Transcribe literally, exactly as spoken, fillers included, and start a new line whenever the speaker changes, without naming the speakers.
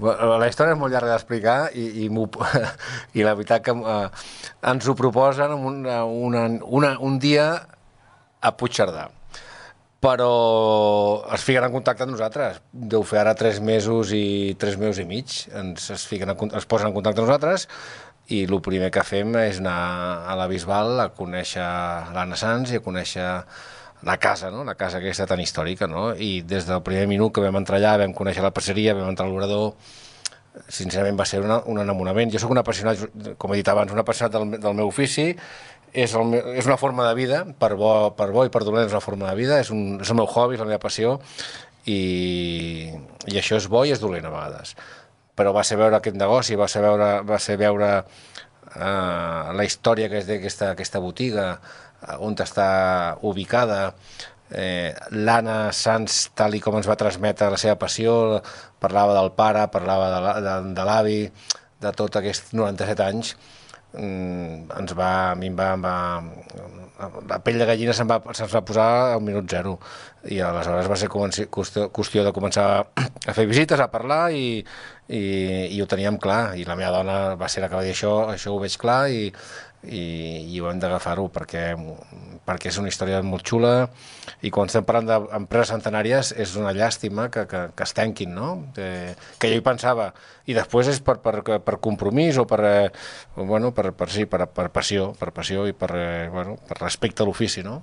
La història és molt llarga d'explicar i, i, i la veritat que eh, ens ho proposen una, una, una, un dia a Puigcerdà, però es fiquen en contacte amb nosaltres. Deu fer ara tres mesos i tres mesos i mig. Ens es, fiquen en, es posen en contacte amb nosaltres i el primer que fem és anar a la Bisbal a conèixer l'Anna Sans i a conèixer la casa, no? La casa aquesta tan històrica, no? I des del primer minut que vam entrar allà, vam conèixer la passeria, vam entrar a l'obrador, sincerament va ser una, un enamorament. Jo sóc un apassionat, com he dit abans, un apassionat del, del meu ofici, és, el, és una forma de vida, per bo, per bo i per dolent és una forma de vida, és, un, és el meu hobby, és la meva passió, i, i això és bo i és dolent a vegades. Però va ser veure aquest negoci, va ser veure, va ser veure uh, la història que és d'aquesta aquesta botiga, on està ubicada, eh, l'Anna Sans, tal i com ens va transmetre la seva passió, parlava del pare, parlava de l'avi, de tot aquests noranta-set anys, ens va, a mi em va, em va la pell de gallina se'ns va, se'ns va posar al minut zero i aleshores va ser qüestió, qüestió de començar a fer visites, a parlar i, i, i ho teníem clar i la meva dona va ser la que va dir això, això ho veig clar i i, i ho hem d'agafar-ho perquè, perquè és una història molt xula i quan estem parlant d'empreses centenàries és una llàstima que, que, que es tanquin, no? Que, que jo hi pensava i després és per, per, per compromís o per, eh, bueno, per, per, sí, per, per passió per passió i per, eh, bueno, per respecte a l'ofici, no?